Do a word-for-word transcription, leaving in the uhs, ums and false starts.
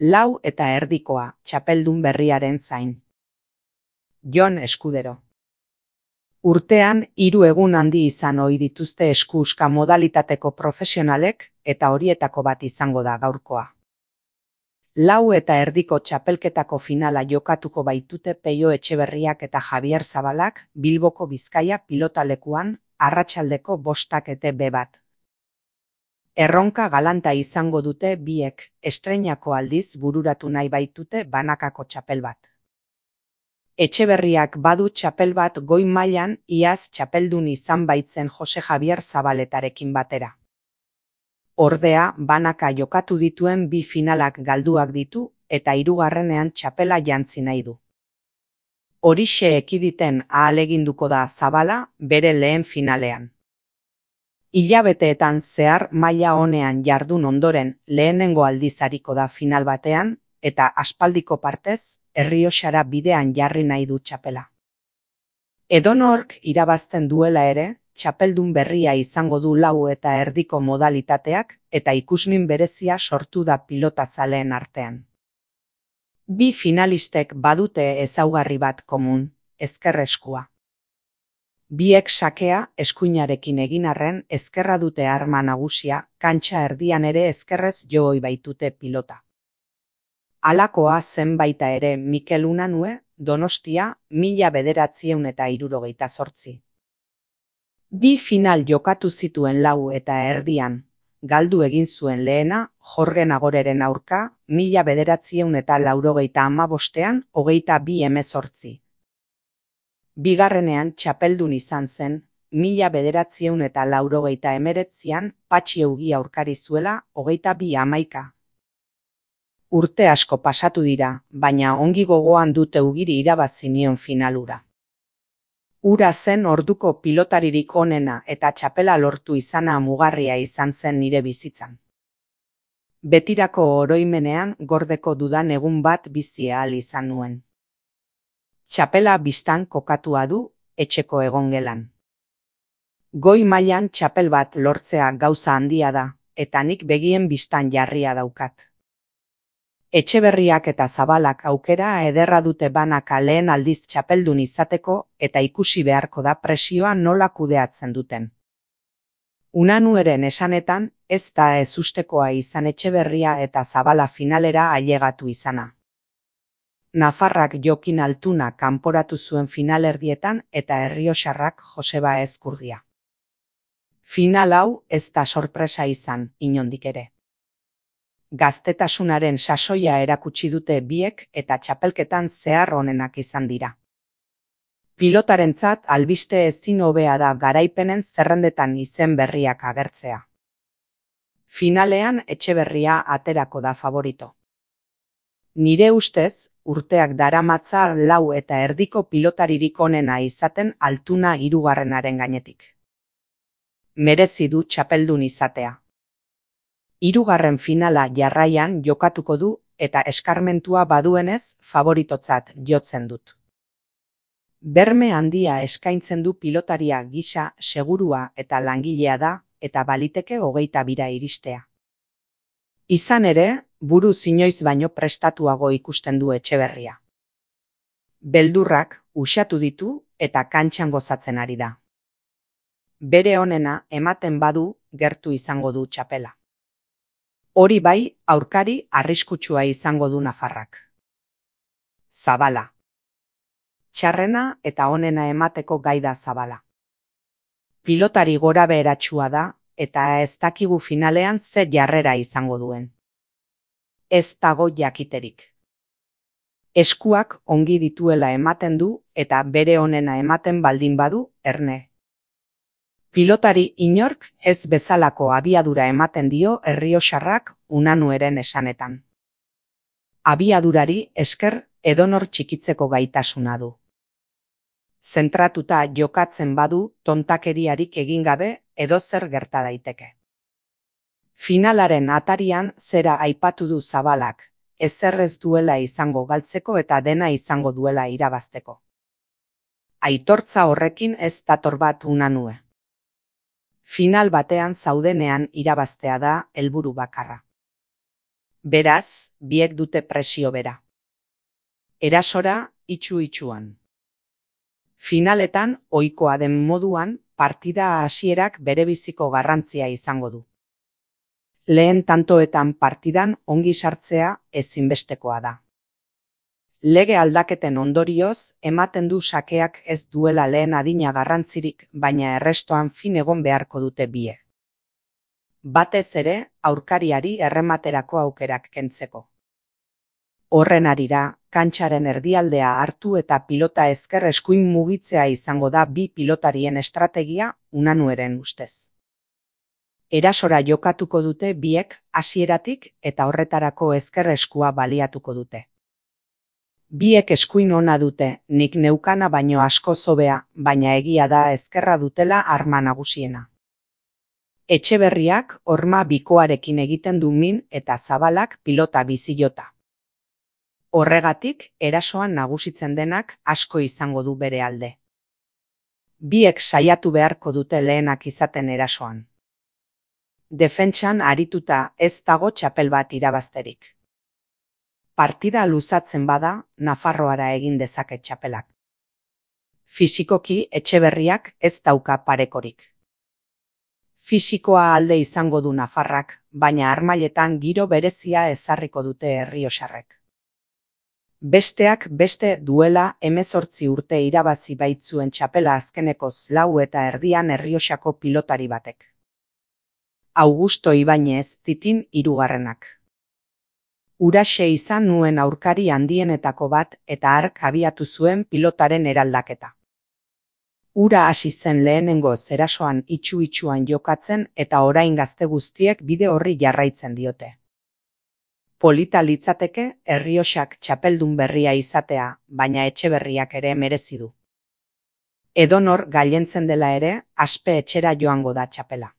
Lau eta erdikoa, txapeldun berriaren zain. Jon Eskudero. Urtean, hiru egun handi izan ohi dituzte eskuska modalitateko profesionalek, eta horietako bat izango da gaurkoa. Lau eta erdiko txapelketako finala jokatuko baitute Peio Etxeberriak eta Javier Zabalak Bilboko Bizkaia pilotalekuan, arratsaldeko bostak ete be bat. Erronka galanta izango dute biek, estreinako aldiz bururatu nahi baitute banakako txapel bat. Etxeberriak badu txapel bat goi mailan iaz txapeldun izan baitzen Jose Javier Zabaletarekin batera. Ordea, banaka jokatu dituen bi finalak galduak ditu eta hirugarrenean txapela jantzi nahi du. Horixe ekiditen ahaleginduko da Zabala bere lehen finalean. Hilabeteetan zehar maila onean jardun ondoren lehenengo aldiz ariko da final batean, eta aspaldiko partez, Errioxara bidean jarri nahi du txapela. Edonork irabazten duela ere, txapeldun berria izango du lau eta erdiko modalitateak eta ikusmin berezia sortu da pilota zaleen artean. Bi finalistek badute ezaugarri bat komun, ezker eskua. Biek sakea eskuinarekin egin arren ezkerra dute arma nagusia, kantxa erdian ere ezkerrez jo ohi baitute pilota. Halakoa zen baita ere Mikel Unanue, Donostia, mila bederatziehun eta hirurogeita zortzi. Bi final jokatu zituen lau eta erdian, galdu egin zuen lehena Jorge Nagoreren aurka, mila bederatziehun eta laurogeita hamabostean hogeita bi hemezortzi. Bigarrenean txapeldun izan zen, mila bederatziehun eta laurogeita hemeretzian Patxi Eugi aurkari zuela hogeita bi hamaika. Urte asko pasatu dira, baina ongi gogoan dute Eugiri irabazi nion finalura. Ura zen orduko pilotaririk onena eta txapela lortu izana mugarria izan zen nire bizitzan. Betirako oroimenean gordeko dudan egun bat bizi ahal izan nuen. Txapela bistan kokatua du, etxeko egongelan. Goi mailan txapel bat lortzea gauza handia da, eta nik begien bistan jarria daukat. Etxeberriak eta Zabalak aukera ederra dute banaka lehen aldiz txapeldun izateko eta ikusi beharko da presioa nola kudeatzen duten. Unanueren esanetan, ez da ezustekoa izan Etxeberria eta Zabala finalera ailegatu izana. Nafarrak Jokin Altuna kanporatu zuen finalerdietan eta Errioxarrak Joseba Ezkurdia. Final hau ez da sorpresa izan, inondik ere. Gaztetasunaren sasoia erakutsi dute biek eta txapelketan zehar onenak izan dira. Pilotarentzat albiste ezin hobea da garaipenen zerrendetan izen berriak agertzea. Finalean Etxeberria aterako da favorito. Nire ustez, urteak daramatza lau eta erdiko pilotaririk onena izaten Altuna hirugarrenaren gainetik. Merezi du txapeldun izatea. Hirugarren finala jarraian jokatuko du eta eskarmentua baduenez favoritotzat jotzen dut. Berme handia eskaintzen du pilotaria gisa segurua eta langilea da eta baliteke hogeita bira iristea. Izan ere, buru inoiz baino prestatuago ikusten du Etxeberria. Beldurrak uxatu ditu eta kantxan gozatzen ari da. Bere onena ematen badu gertu izango du txapela. Hori bai, aurkari arriskutsua izango du Nafarrak. Zabala. Txarrena eta onena emateko gai da Zabala. Pilotari gora beheratsua da eta ez dakigu finalean ze jarrera izango duen. Ez dago jakiterik. Eskuak ongi dituela ematen du eta bere onena ematen baldin badu, erne. Pilotari inork ez bezalako abiadura ematen dio Errioxarrak Unanueren esanetan. Abiadurari esker edonor txikitzeko gaitasuna du. Zentratuta jokatzen badu tontakeriarik egin gabe edozer gerta daiteke. Finalaren atarian zera aipatu du Zabalak, ezer ez duela izango galtzeko eta dena izango duela irabazteko. Aitortza horrekin ez dator bat Unanue. Final batean zaudenean irabaztea da helburu bakarra. Beraz, biek dute presio bera. Erasora, itxu-itxuan. Finaletan, ohikoa den moduan, partida hasierak berebiziko garrantzia izango du. Lehen tantoetan partidan ongi sartzea ezinbestekoa da. Lege aldaketen ondorioz, ematen du sakeak ez duela lehen adina garrantzirik, baina errestoan fin egon beharko dute bie. Batez ere, aurkariari errematerako aukerak kentzeko. Horren harira, kantxaren erdialdea hartu eta pilota ezker eskuin mugitzea izango da bi pilotarien estrategia Unanueren ustez. Erasora jokatuko dute biek hasieratik eta horretarako ezker eskua baliatuko dute. Biek eskuin ona dute, nik neukana baino asko hobea, baina egia da ezkerra dutela arma nagusiena. Etxeberriak horma bikoarekin egiten du min eta Zabalak pilota bizilota. Horregatik, erasoan nagusitzen denak asko izango du bere alde. Biek saiatu beharko dute lehenak izaten erasoan. Defentsan arituta ez dago txapel bat irabazterik. Partida luzatzen bada, Nafarroara egin dezake txapelak. Fisikoki Etxeberriak ez dauka parekorik. Fisikoa alde izango du Nafarrak, baina harmailetan giro berezia ezarriko dute errioxarrek. Besteak beste duela hemezortzi urte irabazi baitzuen txapela azkenekoz lau eta erdian Errioxako pilotari batek. Augusto Ibañez Titin hirugarrenak. Huraxe izan nuen aurkari handienetako bat eta hark abiatu zuen pilotaren eraldaketa. Hura hasi zen lehenengo zerasoan itxu-itxuan jokatzen eta orain gazte guztiek bide horri jarraitzen diote. Polita litzateke Errioxak txapeldun berria izatea, baina Etxeberriak ere merezi du. Edonor gailentzen dela ere, aspe etxera joango da txapela.